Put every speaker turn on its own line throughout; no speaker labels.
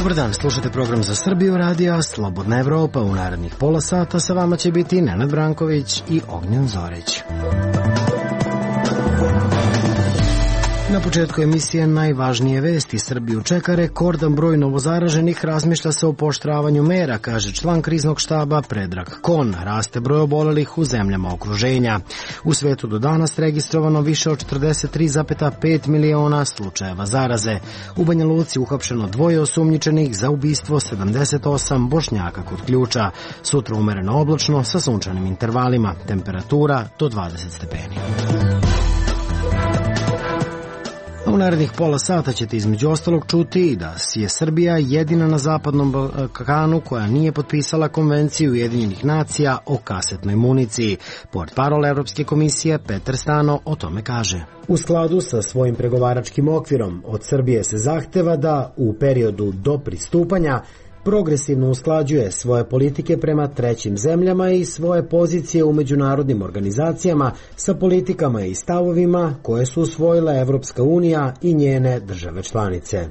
Dobar dan, slušate program za Srbiju radija Slobodna Evropa. U narednih pola sata sa vama će biti Nenad Branković i Ognjen Zorić. Na početku emisije najvažnije vesti. Srbiju čeka rekordan broj novozaraženih, razmišlja se o pooštravanju mera, kaže član kriznog štaba Predrag Kon. Raste broj obolelih u zemljama okruženja. U svetu do danas registrovano više od 43,5 miliona slučajeva zaraze. U Banja Luci uhapšeno 2 osumnjičenih za ubistvo 78 Bošnjaka kod Ključa. Sutra umereno oblačno sa sunčanim intervalima. Temperatura do 20 stepeni. U narednih pola sata ćete između ostalog čuti da je Srbija jedina na zapadnom Balkanu koja nije potpisala konvenciju Ujedinjenih nacija o kasetnoj municiji. Portparol Evropske komisije Petar Stano o tome kaže. U skladu sa svojim pregovaračkim okvirom od Srbije se zahteva da u periodu do pristupanja progresivno usklađuje svoje politike prema trećim zemljama i svoje pozicije u međunarodnim organizacijama sa politikama i stavovima koje su usvojile Evropska unija i njene države članice.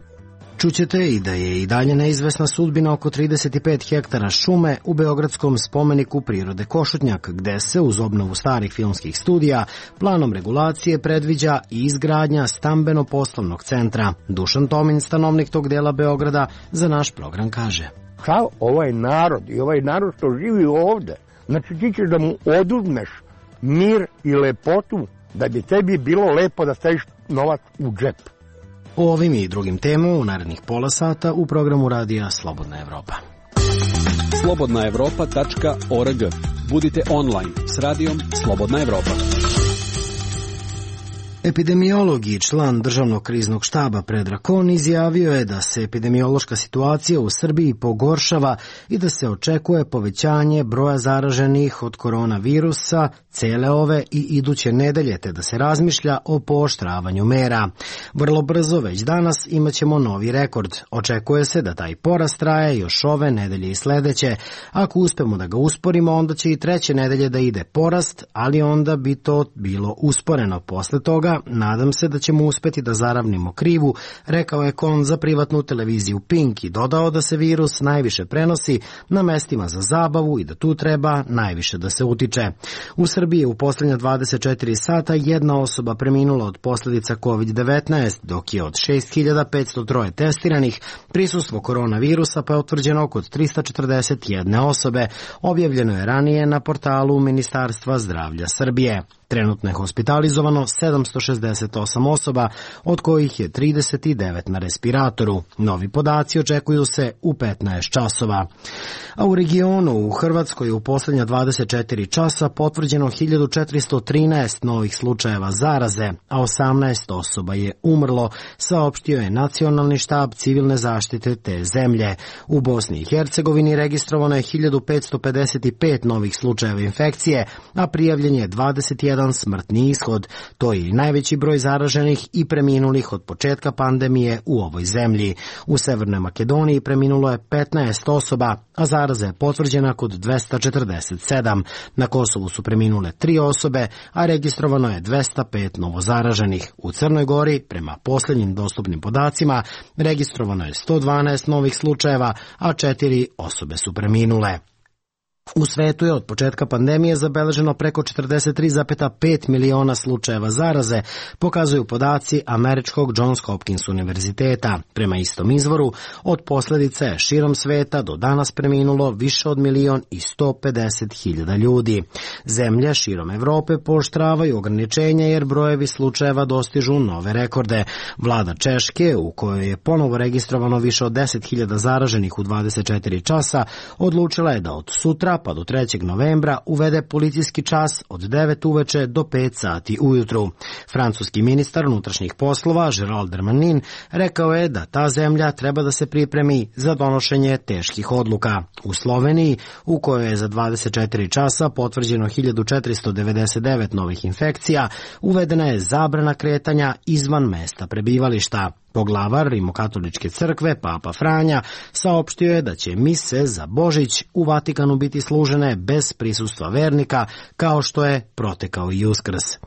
Čućete i da je i dalje neizvesna sudbina oko 35 hektara šume u beogradskom spomeniku prirode Košutnjak, gde se uz obnovu starih filmskih studija planom regulacije predviđa i izgradnja stambeno-poslovnog centra. Dušan Tomin, stanovnik tog dela Beograda, za naš program kaže.
Kao ovaj narod i ovaj narod što živi ovde, znači ti ćeš da mu oduzmeš mir i lepotu da bi tebi bilo lepo da staviš novac u džep.
O ovim i drugim temama u narednih pola sata u programu radija Slobodna Evropa.
slobodnaevropa.org. Budite online s radijom Slobodna Evropa.
Epidemiolog i član državnog kriznog štaba Predrag Kon izjavio je da se epidemiološka situacija u Srbiji pogoršava i da se očekuje povećanje broja zaraženih od koronavirusa cele ove i iduće nedelje, te da se razmišlja o pooštravanju mera. Vrlo brzo, već danas, imaćemo novi rekord. Očekuje se da taj porast traje još ove nedelje i sledeće. Ako uspemo da ga usporimo, onda će i treće nedelje da ide porast, ali onda bi to bilo usporeno. Posle toga, nadam se da ćemo uspeti da zaravnimo krivu, rekao je Kon za privatnu televiziju Pink i dodao da se virus najviše prenosi na mestima za zabavu i da tu treba najviše da se utiče. U Srbiji je u poslednja 24 sata jedna osoba preminula od posledica COVID-19, dok je od 6503 testiranih prisustvo koronavirusa pa je utvrđeno kod 341 osobe, objavljeno je ranije na portalu Ministarstva zdravlja Srbije. Trenutno je hospitalizovano 768 osoba, od kojih je 39 na respiratoru. Novi podaci očekuju se u 15 časova. A u regionu, u Hrvatskoj, u poslednja 24 časa potvrđeno 1413 novih slučajeva zaraze, a 18 osoba je umrlo, saopštio je Nacionalni štab civilne zaštite te zemlje. U Bosni i Hercegovini registrovano je 1555 novih slučajeva infekcije, a prijavljen je 21 smrtni ishod. To je i najveći broj zaraženih i preminulih od početka pandemije u ovoj zemlji. U Severnoj Makedoniji preminulo je 15 osoba, a zaraza je potvrđena kod 247. Na Kosovu su preminule 3 osobe, a registrovano je 205 novozaraženih. U Crnoj Gori, prema posljednjim dostupnim podacima, registrovano je 112 novih slučajeva, a 4 osobe su preminule. U svetu je od početka pandemije zabeleženo preko 43,5 miliona slučajeva zaraze, pokazuju podaci američkog Johns Hopkins univerziteta. Prema istom izvoru, od posljedice je širom sveta do danas preminulo više od 1.150.000 ljudi. Zemlje širom Evrope pooštravaju ograničenja jer brojevi slučajeva dostižu nove rekorde. Vlada Češke, u kojoj je ponovo registrovano više od 10.000 zaraženih u 24 časa, odlučila je da od sutra pa do 3. novembra uvede policijski čas od 9 uveče do 5 sati ujutru. Francuski ministar unutrašnjih poslova Gérald Darmanin rekao je da ta zemlja treba da se pripremi za donošenje teških odluka. U Sloveniji, u kojoj je za 24 časa potvrđeno 1499 novih infekcija, uvedena je zabrana kretanja izvan mesta prebivališta. Poglavar Rimokatoličke crkve, Papa Franja, saopštio je da će mise za Božić u Vatikanu biti služene bez prisustva vernika, kao što je protekao i Uskrs.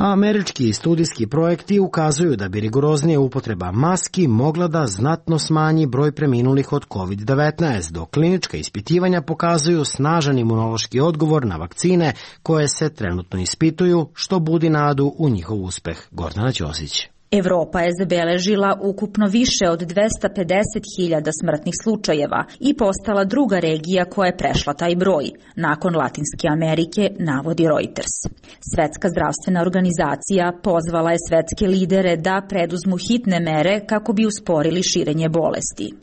A američki studijski projekti ukazuju da bi rigoroznija upotreba maski mogla da znatno smanji broj preminulih od COVID-19, dok klinička ispitivanja pokazuju snažan imunološki odgovor na vakcine koje se trenutno ispituju, što budi nadu u njihov uspeh. Gordana Ćosić.
Evropa je zabeležila ukupno više od 250.000 smrtnih slučajeva i postala druga regija koja je prešla taj broj, nakon Latinske Amerike, navodi Reuters. Svetska zdravstvena organizacija pozvala je svetske lidere da preduzmu hitne mere kako bi usporili širenje bolesti.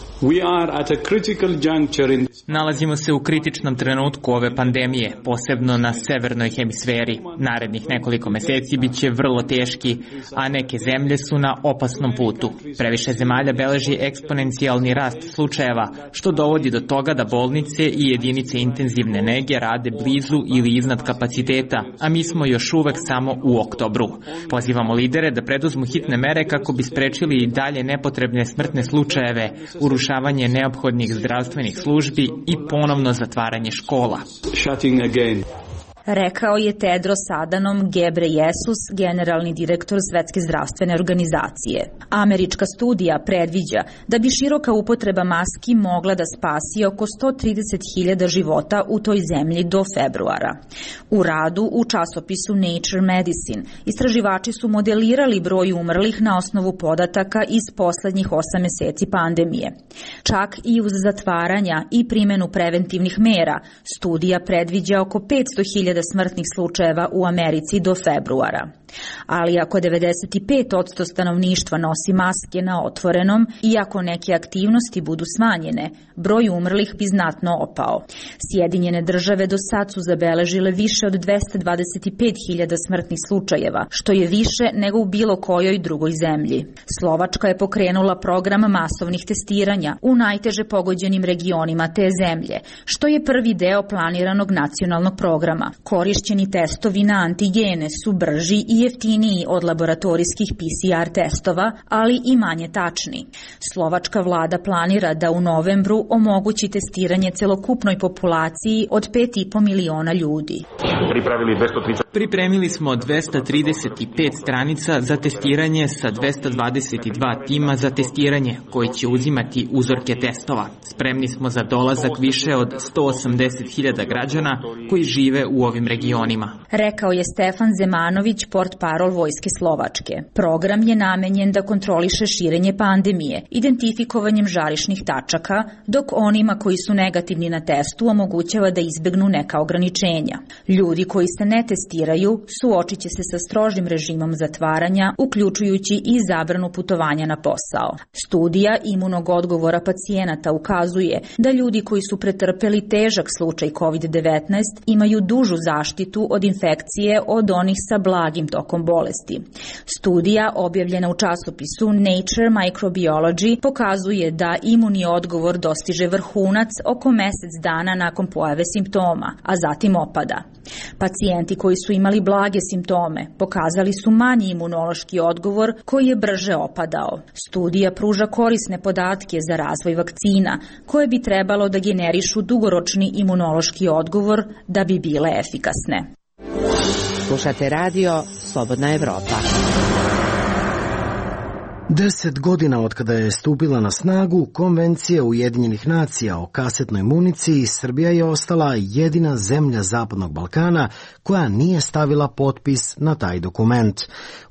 Nalazimo se u kritičnom trenutku ove pandemije, posebno na severnoj hemisferi. Narednih nekoliko meseci bit će vrlo teški, a neke zemlje su na opasnom putu. Previše zemalja beleži eksponencijalni rast slučajeva, što dovodi do toga da bolnice i jedinice intenzivne nege rade blizu ili iznad kapaciteta, a mi smo još uvek samo u oktobru. Pozivamo lidere da preduzmu hitne mere kako bi sprečili i dalje nepotrebne smrtne slučajeve, urušavanje neophodnih zdravstvenih službi i ponovno zatvaranje škola.
Rekao je Tedros Adhanom Ghebreyesus, generalni direktor Svetske zdravstvene organizacije. Američka studija predviđa da bi široka upotreba maski mogla da spasi oko 130.000 života u toj zemlji do februara. U radu u časopisu Nature Medicine istraživači su modelirali broj umrlih na osnovu podataka iz poslednjih 8 meseci pandemije. Čak i uz zatvaranja i primenu preventivnih mera, studija predviđa oko 500.000 smrtnih slučajeva u Americi do februara. Ali ako 95% stanovništva nosi maske na otvorenom i ako neke aktivnosti budu smanjene, broj umrlih bi znatno opao. Sjedinjene države do sad su zabeležile više od 225.000 smrtnih slučajeva, što je više nego u bilo kojoj drugoj zemlji. Slovačka je pokrenula program masovnih testiranja u najteže pogođenim regionima te zemlje, što je prvi deo planiranog nacionalnog programa. Korišćeni testovi na antigene su brži i jeftiniji od laboratorijskih PCR testova, ali i manje tačni. Slovačka vlada planira da u novembru omogući testiranje celokupnoj populaciji od 5,5 miliona ljudi.
Pripremili smo 235 stranica za testiranje sa 222 tima za testiranje koji će uzimati uzorke testova. Spremni smo za dolazak više od 180.000 građana koji žive u ovim regionima.
Rekao je Stefan Zemanović, portparol Vojske Slovačke. Program je namenjen da kontroliše širenje pandemije, identifikovanjem žarišnih tačaka, dok onima koji su negativni na testu omogućava da izbegnu neka ograničenja. Ljudi koji se ne testiraju suočit će se sa strožim režimom zatvaranja, uključujući i zabranu putovanja na posao. Studija imunog odgovora pacijenata ukazuje da ljudi koji su pretrpeli težak slučaj COVID-19 imaju dužu zaštitu od infekcije od onih sa blagim tokom bolesti. Studija objavljena u časopisu Nature Microbiology pokazuje da imunni odgovor dostiže vrhunac oko mesec dana nakon pojave simptoma, a zatim opada. Pacijenti koji su imali blage simptome pokazali su manji imunološki odgovor koji je brže opadao. Studija pruža korisne podatke za razvoj vakcina koje bi trebalo da generišu dugoročni imunološki odgovor da bi bile efikasne.
Slušate radio Slobodna Evropa.
10 godina od kada je stupila na snagu Konvencija Ujedinjenih nacija o kasetnoj municiji, Srbija je ostala jedina zemlja Zapadnog Balkana koja nije stavila potpis na taj dokument.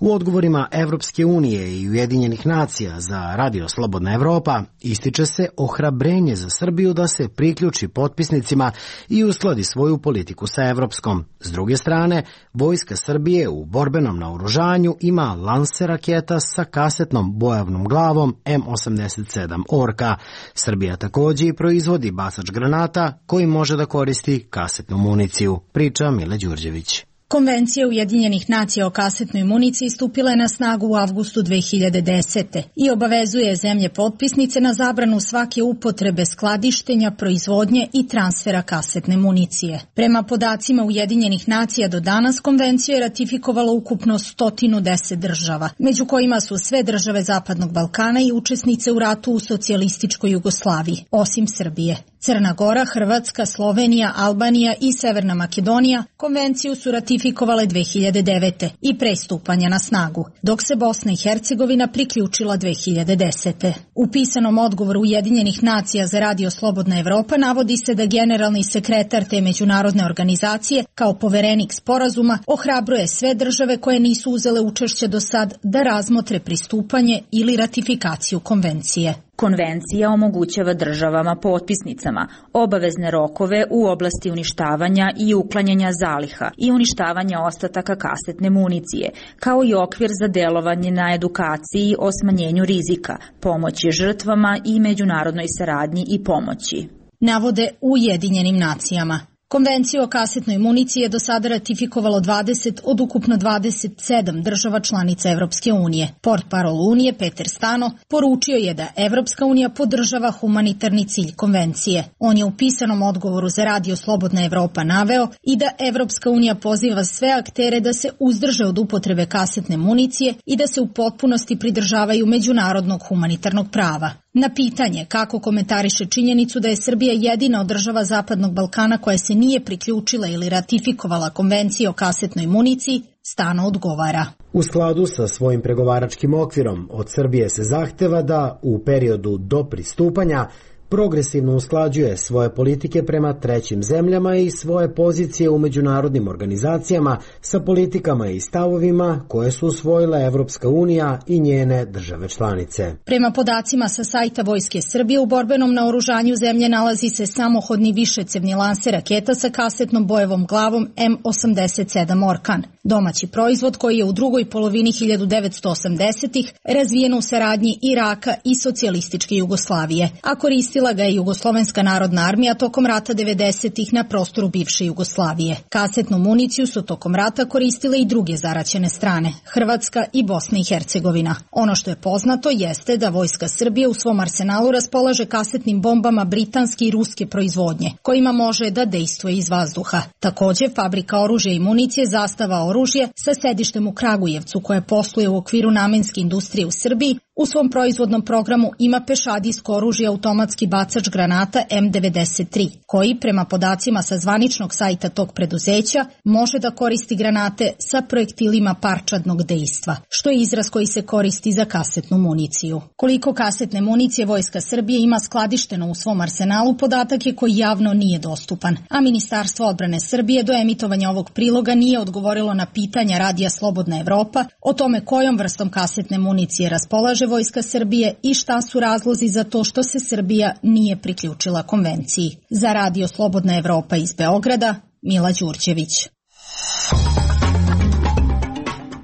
U odgovorima Evropske unije i Ujedinjenih nacija za Radio Slobodna Evropa ističe se ohrabrenje za Srbiju da se priključi potpisnicima i uskladi svoju politiku sa evropskom. S druge strane, Vojska Srbije u borbenom naoružanju ima lanser raketa sa kasetnom bojavnom glavom M87 Orka. Srbija takođe i proizvodi bacač granata koji može da koristi kasetnu municiju, priča Mile Đurđević.
Konvencija Ujedinjenih nacija o kasetnoj municiji stupila je na snagu u avgustu 2010. i obavezuje zemlje potpisnice na zabranu svake upotrebe, skladištenja, proizvodnje i transfera kasetne municije. Prema podacima Ujedinjenih nacija do danas konvenciju je ratifikovalo ukupno 110 država, među kojima su sve države Zapadnog Balkana i učesnice u ratu u socijalističkoj Jugoslaviji, osim Srbije. Crna Gora, Hrvatska, Slovenija, Albanija i Severna Makedonija konvenciju su ratifikovale 2009. i pre stupanja na snagu, dok se Bosna i Hercegovina priključila 2010. U pisanom odgovoru Ujedinjenih nacija za Radio Slobodna Evropa navodi se da generalni sekretar te međunarodne organizacije, kao poverenik sporazuma, ohrabruje sve države koje nisu uzele učešće do sad da razmotre pristupanje ili ratifikaciju konvencije.
Konvencija omogućava državama potpisnicama obavezne rokove u oblasti uništavanja i uklanjanja zaliha i uništavanja ostataka kasetne municije, kao i okvir za delovanje na edukaciji o smanjenju rizika, pomoći žrtvama i međunarodnoj saradnji i pomoći.
Navode u Ujedinjenim nacijama. Konvenciju o kasetnoj municiji je do sada ratifikovalo 20 od ukupno 27 država članica Evropske unije. Portparol Unije Peter Stano poručio je da Evropska unija podržava humanitarni cilj konvencije. On je u pisanom odgovoru za Radio Slobodna Evropa naveo i da Evropska unija poziva sve aktere da se uzdrže od upotrebe kasetne municije i da se u potpunosti pridržavaju međunarodnog humanitarnog prava. Na pitanje kako komentariše činjenicu da je Srbija jedina od država Zapadnog Balkana koja se nije priključila ili ratifikovala konvenciju o kasetnoj municiji, Stano odgovara.
U skladu sa svojim pregovaračkim okvirom od Srbije se zahteva da u periodu do pristupanja progresivno usklađuje svoje politike prema trećim zemljama i svoje pozicije u međunarodnim organizacijama sa politikama i stavovima koje su usvojile Evropska unija i njene države članice.
Prema podacima sa sajta Vojske Srbije, u borbenom naoružanju zemlje nalazi se samohodni višecevni lanser raketa sa kasetnom bojevom glavom M87 Orkan. Domaći proizvod koji je u drugoj polovini 1980-ih razvijen u saradnji Iraka i socijalističke Jugoslavije, a koristila ga je Jugoslovenska narodna armija tokom rata 90-ih na prostoru bivše Jugoslavije. Kasetnu municiju su tokom rata koristile i druge zaraćene strane, Hrvatska i Bosna i Hercegovina. Ono što je poznato jeste da Vojska Srbije u svom arsenalu raspolaže kasetnim bombama britanske i ruske proizvodnje, kojima može da dejstvuje iz vazduha. Takođe, fabrika oružja i municije Zastava oružje sa sedištem u Kragujevcu, koje posluje u okviru namenske industrije u Srbiji, u svom proizvodnom programu ima pešadijsko oružje automatski bacač granata M93, koji, prema podacima sa zvaničnog sajta tog preduzeća, može da koristi granate sa projektilima parčadnog dejstva, što je izraz koji se koristi za kasetnu municiju. Koliko kasetne municije Vojska Srbije ima skladišteno u svom arsenalu, podatak je koji javno nije dostupan, a Ministarstvo odbrane Srbije do emitovanja ovog priloga nije odgovorilo na pitanja Radija Slobodna Evropa o tome kojom vrstom kasetne municije raspolaže Vojska Srbije i šta su razlozi za to što se Srbija nije priključila konvenciji. Za Radio Slobodna Evropa iz Beograda, Mila Đurđević.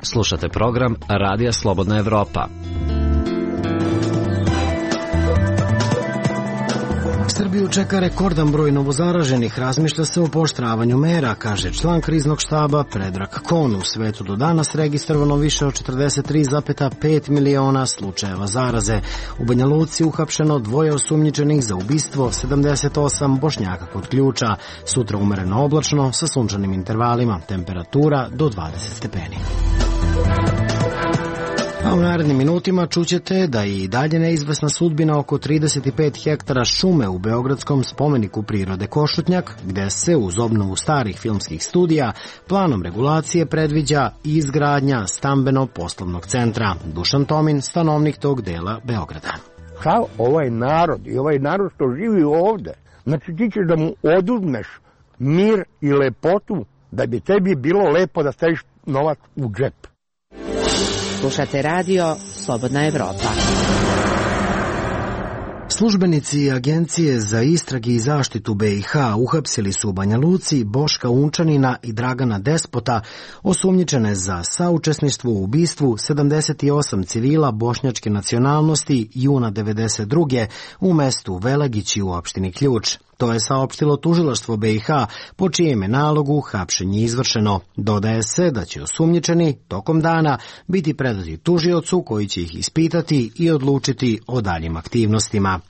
Slušate program Radija Slobodna Evropa.
Srbiju čeka rekordan broj novozaraženih, razmišlja se o pooštravanju mera, kaže član kriznog štaba Predrag Kon. U svetu do danas registrovano više od 43,5 miliona slučajeva zaraze. U Banja Luci uhapšeno 2 osumnjičenih za ubistvo, 78 Bošnjaka kod Ključa. Sutra umereno oblačno sa sunčanim intervalima, temperatura do 20 stepeni. A u narednim minutima čućete da je i dalje neizvesna sudbina oko 35 hektara šume u beogradskom spomeniku prirode Košutnjak, gde se uz obnovu starih filmskih studija planom regulacije predviđa i izgradnja stambeno-poslovnog centra. Dušan Tomin, stanovnik tog dela Beograda.
Kao ovaj narod i ovaj narod što živi ovde, znači ti ćeš da mu oduzmeš mir i lepotu da bi tebi bilo lepo da staviš novac u džep.
Slušate radio Slobodna Evropa.
Službenici Agencije za istrage i zaštitu BiH uhapsili su u Banja Luci Boška Unčanina i Dragana Despota, osumnjičene za saučesništvo u ubistvu 78 civila bošnjačke nacionalnosti juna 1992. u mestu Velagići u opštini Ključ. To je saopštilo tužilaštvo BiH, po čijem je nalogu hapšenje izvršeno. Dodaje se da će osumnjičeni tokom dana biti predati tužiocu koji će ih ispitati i odlučiti o daljim aktivnostima.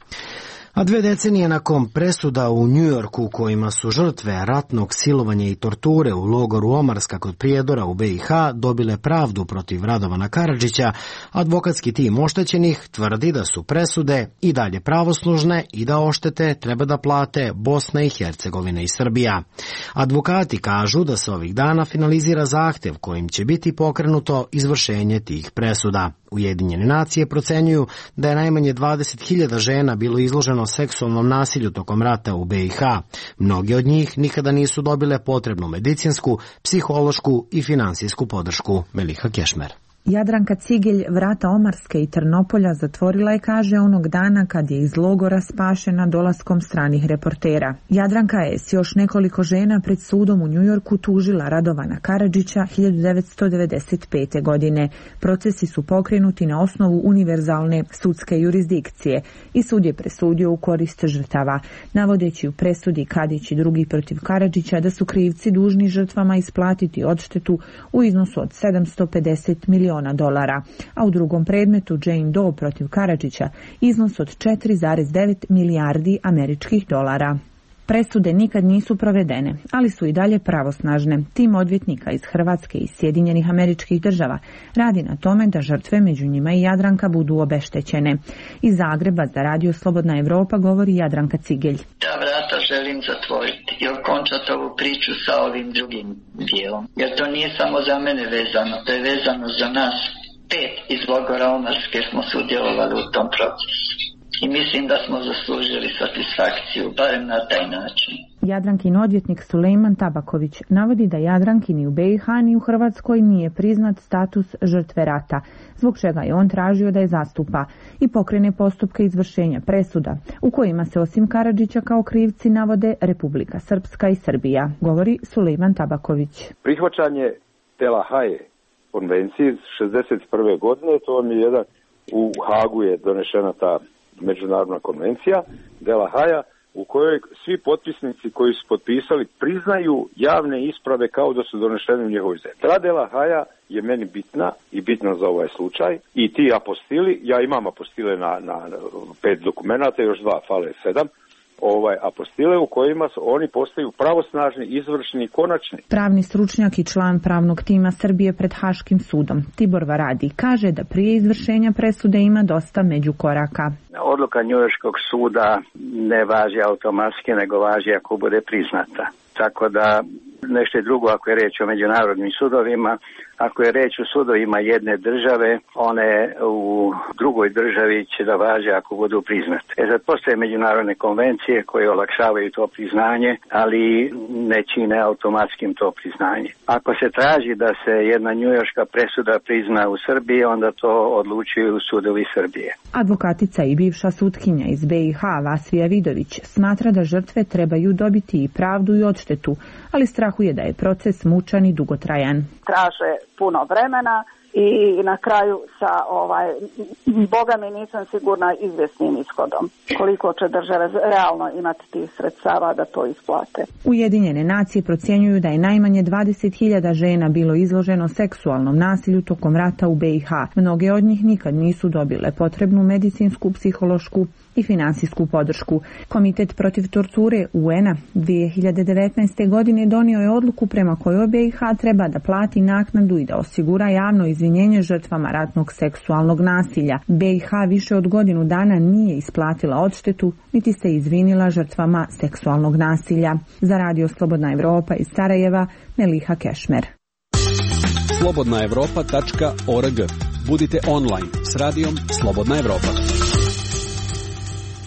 A 2 decenije nakon presuda u Njujorku kojima su žrtve ratnog silovanja i torture u logoru Omarska kod Prijedora u BiH dobile pravdu protiv Radovana Karadžića, advokatski tim oštećenih tvrdi da su presude i dalje pravoslužne i da oštete treba da plate Bosna i Hercegovina i Srbija. Advokati kažu da se ovih dana finalizira zahtev kojim će biti pokrenuto izvršenje tih presuda. Ujedinjene nacije procenjuju da je najmanje 20.000 žena bilo izloženo seksualnom nasilju tokom rata u BiH. Mnogi od njih nikada nisu dobile potrebnu medicinsku, psihološku i finansijsku podršku. Meliha Kešmer.
Jadranka Cigelj vrata Omarske i Trnopolja zatvorila je, kaže, onog dana kad je iz logora spašena dolaskom stranih reportera. Jadranka je s još nekoliko žena pred sudom u Njujorku tužila Radovana Karadžića 1995. godine. Procesi su pokrenuti na osnovu univerzalne sudske jurisdikcije i sud je presudio u korist žrtava, navodeći u presudi Kadić i drugi protiv Karadžića da su krivci dužni žrtvama isplatiti odštetu u iznosu od $750 miliona, a u drugom predmetu Jane Doe protiv Karadžića iznos od 4,9 milijardi američkih dolara. Presude nikad nisu provedene, ali su i dalje pravosnažne. Tim odvjetnika iz Hrvatske i Sjedinjenih Američkih Država radi na tome da žrtve, među njima i Jadranka, budu obeštećene. Iz Zagreba za Radio Slobodna Evropa govori Jadranka Cigelj.
Ta vrata želim zatvoriti i okončati ovu priču sa ovim drugim dijelom. Jer to nije samo za mene vezano, to je vezano za nas. 5 iz logora Omarske smo sudjelovali u tom procesu. I mislim da smo zaslužili satisfakciju, barem na taj način.
Jadrankin odvjetnik Sulejman Tabaković navodi da Jadranki ni u BiH ni u Hrvatskoj nije priznat status žrtve rata, zbog čega je on tražio da je zastupa i pokrene postupke izvršenja presuda, u kojima se osim Karadžića kao krivci navode Republika Srpska i Srbija, govori Sulejman Tabaković.
Prihvaćanje Dela Haye konvencije iz 1961. godine, to vam je jedan, u Hagu je donešena ta međunarodna konvencija Dela Haja, u kojoj svi potpisnici koji su potpisali priznaju javne isprave kao da su donešene u njihovoj zemlji. Ta Dela Haja je meni bitna i bitna za ovaj slučaj i ti apostili, ja imam apostile na 5 dokumenata, još 2, fale 7, apostile u kojima oni postaju pravosnažni, izvršni i konačni.
Pravni stručnjak i član pravnog tima Srbije pred Haškim sudom Tibor Varadi kaže da prije izvršenja presude ima dosta međukoraka.
Odluka Njujorškog suda ne važi automatski, nego važi ako bude priznata. Tako da nešto je drugo ako je reč o međunarodnim sudovima. Ako je reč o sudovima jedne države, one u drugoj državi će da važe ako budu priznate. Sad postoje međunarodne konvencije koje olakšavaju to priznanje, ali ne čine automatskim to priznanje. Ako se traži da se jedna njujorška presuda prizna u Srbiji, onda to odlučuju sudovi Srbije.
Advokatica i bivša sutkinja iz BiH Vasvija Vidović smatra da žrtve trebaju dobiti i pravdu i odštetu, ali strahuje da je proces mučan i dugotrajan.
Traže puno vremena i na kraju sa boga mi nisam sigurna izvjesnim ishodom. Koliko će države realno imati tih sredstava da to isplate.
Ujedinjene nacije procjenjuju da je najmanje 20.000 žena bilo izloženo seksualnom nasilju tokom rata u BiH. Mnoge od njih nikad nisu dobile potrebnu medicinsku, psihološku i finansijsku podršku. Komitet protiv torture UN-a 2019. godine donio je odluku prema kojoj BiH treba da plati naknadu i da osigura javno izvinjenje žrtvama ratnog seksualnog nasilja. BiH više od godinu dana nije isplatila odštetu, niti se izvinila žrtvama seksualnog nasilja. Za Radio Slobodna Evropa iz Sarajeva, Meliha Kešmer.
slobodnaevropa.org. Budite online s radijom Slobodna Evropa.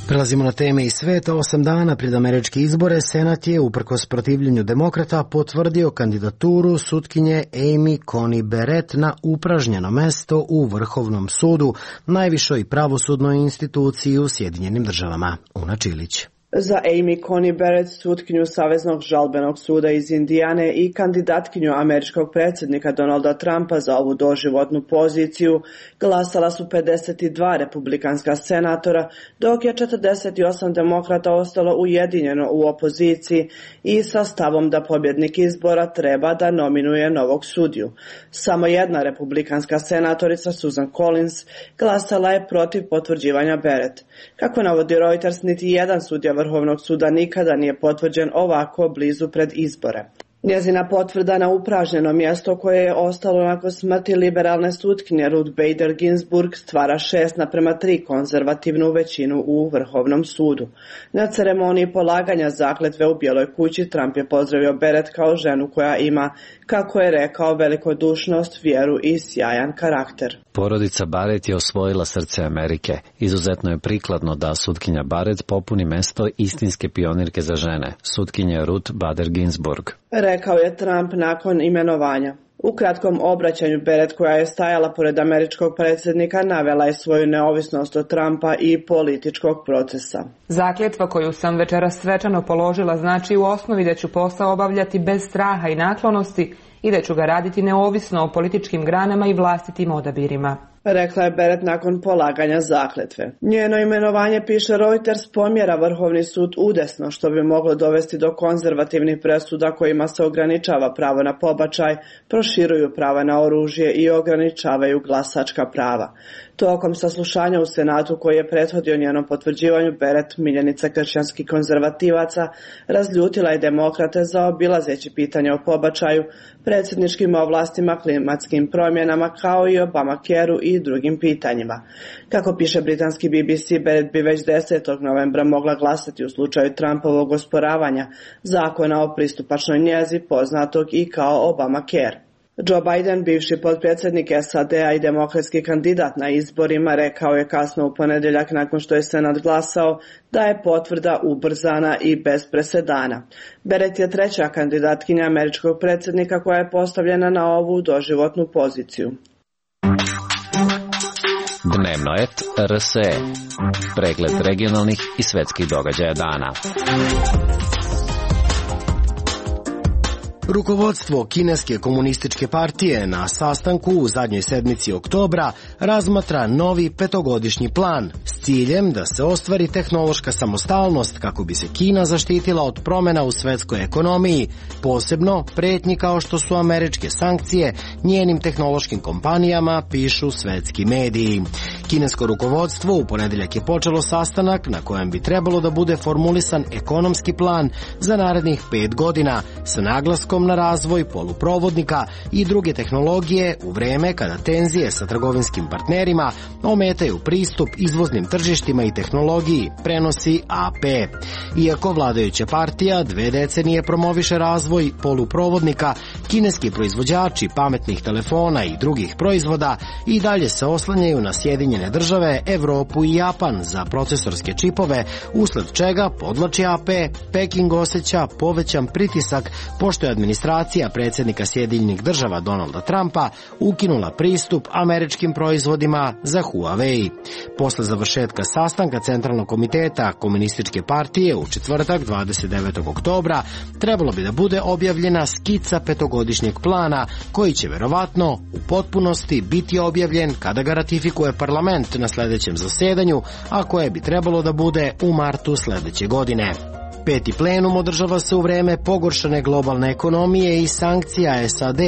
Prelazimo na teme iz sveta. 8 dana pred američke izbore Senat je, uprkos protivljenju demokrata, potvrdio kandidaturu sutkinje Amy Coney Barrett na upražnjeno mesto u Vrhovnom sudu, najvišoj pravosudnoj instituciji u Sjedinjenim Državama. Una Čilić.
Za Amy Coney Barrett, sutkinju Saveznog žalbenog suda iz Indijane i kandidatkinju američkog predsjednika Donalda Trumpa za ovu doživotnu poziciju, glasala su 52 republikanska senatora, dok je 48 demokrata ostalo ujedinjeno u opoziciji i sa stavom da pobjednik izbora treba da nominuje novog sudiju. Samo jedna republikanska senatorica, Susan Collins, glasala je protiv potvrđivanja Barrett. Kako navodi Reuters, niti jedan sudija Vrhovnog suda nikada nije potvrđen ovako blizu pred izbore. Njezina potvrda na upražnjeno mjesto koje je ostalo nakon smrti liberalne sutkinje Ruth Bader Ginsburg stvara 6:3 konzervativnu većinu u Vrhovnom sudu. Na ceremoniji polaganja zakletve u Bijeloj kući Trump je pozdravio Barrett kao ženu koja ima, kako je rekao, velikodušnost, vjeru i sjajan karakter.
Porodica Barrett je osvojila srce Amerike. Izuzetno je prikladno da sutkinja Barrett popuni mesto istinske pionirke za žene, sutkinje Ruth Bader Ginsburg,
rekao je Trump nakon imenovanja. U kratkom obraćanju Barrett, koja je stajala pored američkog predsjednika, navela je svoju neovisnost od Trumpa i političkog procesa.
Zakljetva koju sam večeras svečano položila znači u osnovi da ću posao obavljati bez straha i naklonosti i da ću ga raditi neovisno o političkim granama i vlastitim odabirima,
rekla je Barrett nakon polaganja zakletve. Njeno imenovanje, piše Reuters, pomjera Vrhovni sud udesno, što bi moglo dovesti do konzervativnih presuda kojima se ograničava pravo na pobačaj, proširuju prava na oružje i ograničavaju glasačka prava. Tokom saslušanja u Senatu koji je prethodio njenom potvrđivanju, Barrett, miljenica kršćanskih konzervativaca, razljutila je demokrate zaobilazeći pitanje o pobačaju, predsjedničkim ovlastima, klimatskim promjenama kao i Obamacare-u i drugim pitanjima. Kako piše britanski BBC, Barrett bi već 10. novembra mogla glasati u slučaju Trumpovog osporavanja zakona o pristupačnoj njezi, poznatog i kao Obamacare. Joe Biden, bivši potpredsjednik SAD-a i demokratski kandidat na izborima, rekao je kasno u ponedjeljak nakon što je Senat glasao da je potvrda ubrzana i bez presedana. Barrett je treća kandidatkinja američkog predsjednika koja je postavljena na ovu doživotnu poziciju.
Dnevnoet RSE. Pregled regionalnih i svetskih događaja dana.
Rukovodstvo Kineske komunističke partije na sastanku u zadnjoj sedmici oktobra razmatra novi 5-godišnji plan s ciljem da se ostvari tehnološka samostalnost kako bi se Kina zaštitila od promjena u svetskoj ekonomiji, posebno pretnji kao što su američke sankcije njenim tehnološkim kompanijama, pišu svetski mediji. Kinesko rukovodstvo u ponedjeljak je počelo sastanak na kojem bi trebalo da bude formulisan ekonomski plan za narednih 5 godina sa naglaskom na razvoj poluprovodnika i druge tehnologije u vreme kada tenzije sa trgovinskim partnerima ometaju pristup izvoznim tržištima i tehnologiji, prenosi AP. Iako vladajuća partija 2 decenije promoviše razvoj poluprovodnika, kineski proizvođači pametnih telefona i drugih proizvoda i dalje se oslanjaju na Sjedinjene države, Evropu i Japan za procesorske čipove, usled čega, podvlači AP, Peking osjeća povećan pritisak pošto je administracija predsjednika Sjedinjenih država Donalda Trumpa ukinula pristup američkim proizvodima za Huawei. Posle završetka sastanka Centralnog komiteta Komunističke partije u četvrtak 29. oktobra trebalo bi da bude objavljena skica 5-godišnjeg plana koji će verovatno u potpunosti biti objavljen kada ga ratifikuje parlament na sljedećem zasedanju, a koje bi trebalo da bude u martu sljedeće godine. 5. plenum održava se u vreme pogoršane globalne ekonomije i sankcija SAD,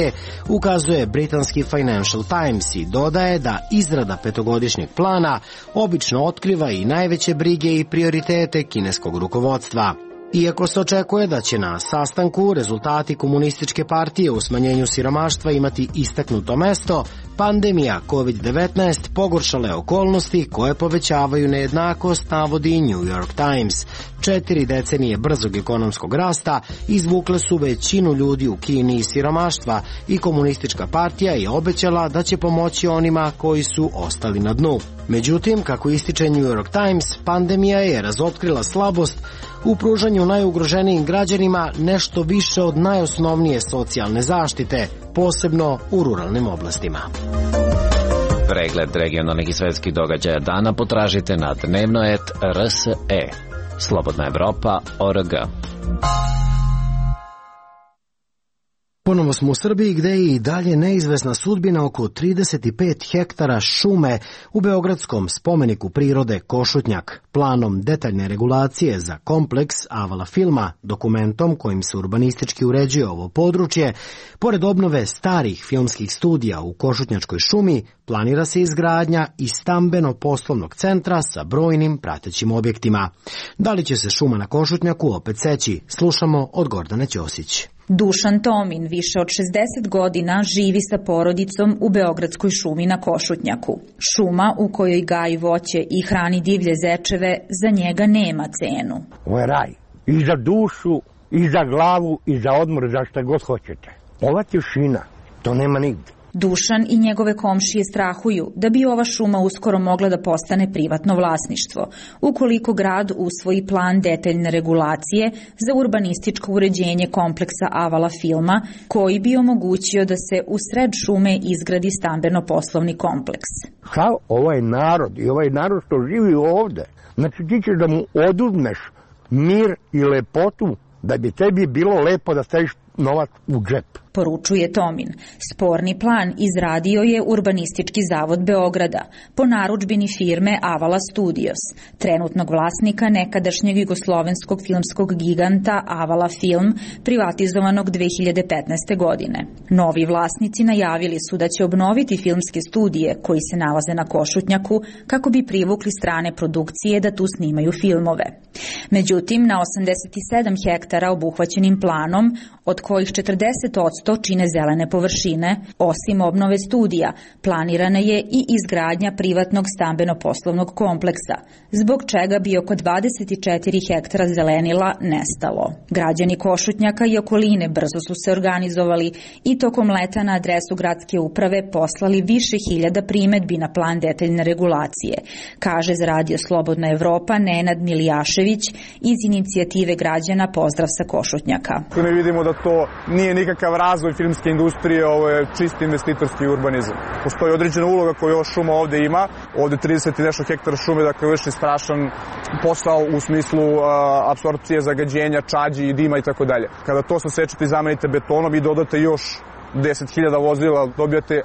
ukazuje britanski Financial Times i dodaje da izrada 5-godišnjeg plana obično otkriva i najveće brige i prioritete kineskog rukovodstva. Iako se očekuje da će na sastanku rezultati komunističke partije u smanjenju siromaštva imati istaknuto mesto, pandemija COVID-19 pogoršale okolnosti koje povećavaju nejednakost, navodi New York Times. 4 decenije brzog ekonomskog rasta izvukle su većinu ljudi u Kini iz siromaštva i komunistička partija je obećala da će pomoći onima koji su ostali na dnu. Međutim, kako ističe New York Times, pandemija je razotkrila slabost u pružanju najugroženijim građanima nešto više od najosnovnije socijalne zaštite, posebno u ruralnim oblastima.
Pregled regionalnih i svetskih događaja dana potražite na Dnevnoet RSE. slobodnaevropa.org.
Ponovo smo u Srbiji gde je i dalje neizvesna sudbina oko 35 hektara šume u beogradskom spomeniku prirode Košutnjak. Planom detaljne regulacije za kompleks Avala filma, dokumentom kojim se urbanistički uređuje ovo područje, pored obnove starih filmskih studija u Košutnjačkoj šumi, planira se izgradnja i stambeno-poslovnog centra sa brojnim pratećim objektima. Da li će se šuma na Košutnjaku opet seći? Slušamo od Gordane Ćosić.
Dušan Tomin više od 60 godina živi sa porodicom u beogradskoj šumi na Košutnjaku. Šuma u kojoj gaji voće i hrani divlje zečeve za njega nema cenu.
Ovo je raj. I za dušu, i za glavu, i za odmor, za šta god hoćete. Ova tišina, to nema nigde.
Dušan i njegove komšije strahuju da bi ova šuma uskoro mogla da postane privatno vlasništvo, ukoliko grad usvoji plan detaljne regulacije za urbanističko uređenje kompleksa Avala filma, koji bi omogućio da se u sred šume izgradi stambeno-poslovni kompleks.
Sav ovaj narod i ovaj narod što živi ovde, znači ti ćeš da mu oduzmeš mir i lepotu da bi tebi bilo lepo da staviš novac u džep.
Poručuje Tomin. Sporni plan izradio je Urbanistički zavod Beograda po narudžbini firme Avala Studios, trenutnog vlasnika nekadašnjeg jugoslovenskog filmskog giganta Avala Film, privatizovanog 2015. godine. Novi vlasnici najavili su da će obnoviti filmske studije koji se nalaze na Košutnjaku kako bi privukli strane produkcije da tu snimaju filmove. Međutim, na 87 hektara obuhvaćenim planom, od kojih 40% čine zelene površine, osim obnove studija, planirana je i izgradnja privatnog stambeno-poslovnog kompleksa, zbog čega bi oko 24 hektara zelenila nestalo. Građani Košutnjaka i okoline brzo su se organizovali i tokom leta na adresu gradske uprave poslali više hiljada primedbi na plan detaljne regulacije, kaže za Radio Slobodna Evropa Nenad Milijašević iz inicijative građana Pozdrav sa Košutnjaka.
Tu ne vidimo da to nije nikakav razvoj filmske industrije, ovo je čisti investitorski urbanizam. Postoji određena uloga koju ova šuma ovde ima, ovde 30 i nešto hektara šume, dakle vrši strašan posao u smislu apsorpcije zagađenja, čađi i dima i tako dalje. Kada to sasečete i zamenite betonom i dodate još 10.000 vozila, dobijate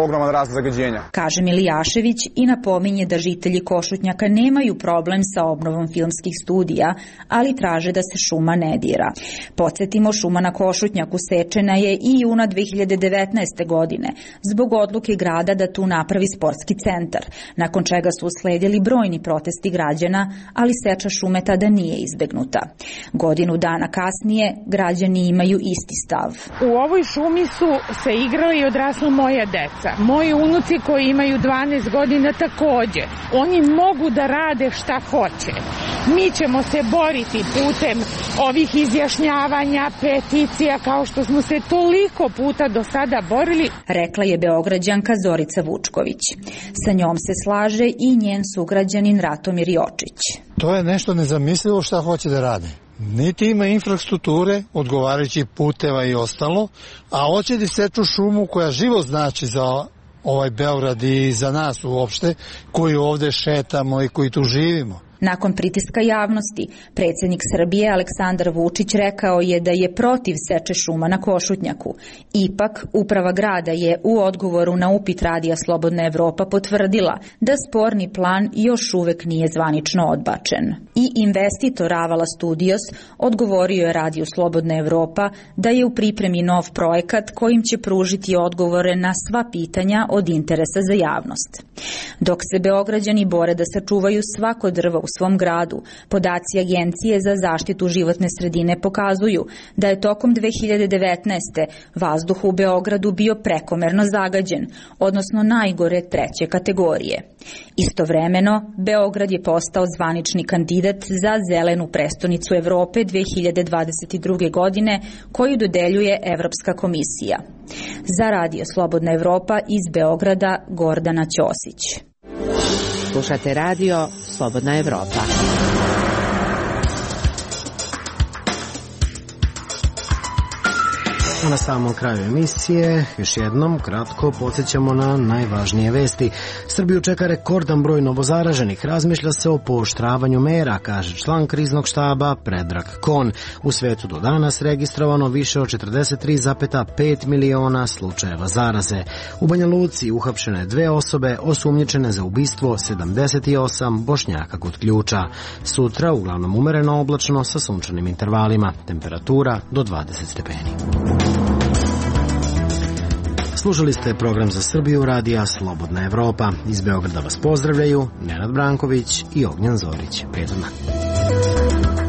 ogroman rast zagađenja.
Kaže Milijašević i napominje da žitelji Košutnjaka nemaju problem sa obnovom filmskih studija, ali traže da se šuma ne dira. Podsjetimo, šuma na Košutnjaku sečena je i juna 2019. godine zbog odluke grada da tu napravi sportski centar, nakon čega su usledili brojni protesti građana, ali seča šume tada nije izbegnuta. Godinu dana kasnije građani imaju isti stav.
U ovoj šumi su se igrali i odrasla moja deca. Moji unuci koji imaju 12 godina takođe. Oni mogu da rade šta hoće. Mi ćemo se boriti putem ovih izjašnjavanja, peticija, kao što smo se toliko puta do sada borili.
Rekla je Beograđanka Zorica Vučković. Sa njom se slaže i njen sugrađanin Ratomir Jočić.
To je nešto nezamislivo šta hoće da rade. Niti ima infrastrukture, odgovarajući puteva i ostalo, a hoće da seču šumu koja živo znači za ovaj Beograd i za nas uopšte, koji ovde šetamo i koji tu živimo.
Nakon pritiska javnosti, predsjednik Srbije Aleksandar Vučić rekao je da je protiv seče šuma na Košutnjaku. Ipak, uprava grada je u odgovoru na upit Radija Slobodna Evropa potvrdila da sporni plan još uvek nije zvanično odbačen. I investitor Avala Studios odgovorio je Radiju Slobodna Evropa da je u pripremi nov projekat kojim će pružiti odgovore na sva pitanja od interesa za javnost. Dok se Beograđani bore da sačuvaju svako drvo u svom gradu, podaci Agencije za zaštitu životne sredine pokazuju da je tokom 2019. vazduh u Beogradu bio prekomerno zagađen, odnosno najgore 3. kategorije. Istovremeno, Beograd je postao zvanični kandidat za zelenu prestonicu Evrope 2022. godine, koju dodeljuje Evropska komisija. Za Radio Slobodna Evropa iz Beograda, Gordana Ćosić.
Slušate Radio Slobodna Evropa.
A na samom kraju emisije još jednom kratko podsjećamo na najvažnije vesti. Srbiju čeka rekordan broj novozaraženih. Razmišlja se o pooštravanju mera, kaže član kriznog štaba Predrag Kon. U svetu do danas registrovano više od 43,5 miliona slučajeva zaraze. U Banja Luci uhapšene 2 osobe osumnjičene za ubistvo 78 Bošnjaka kod Ključa. Sutra uglavnom umereno oblačno sa sunčanim intervalima. Temperatura do 20 stepeni. Slušali ste program za Srbiju radija Slobodna Evropa. Iz Beograda vas pozdravljaju Nenad Branković i Ognjan Zorić. Prijetan dan.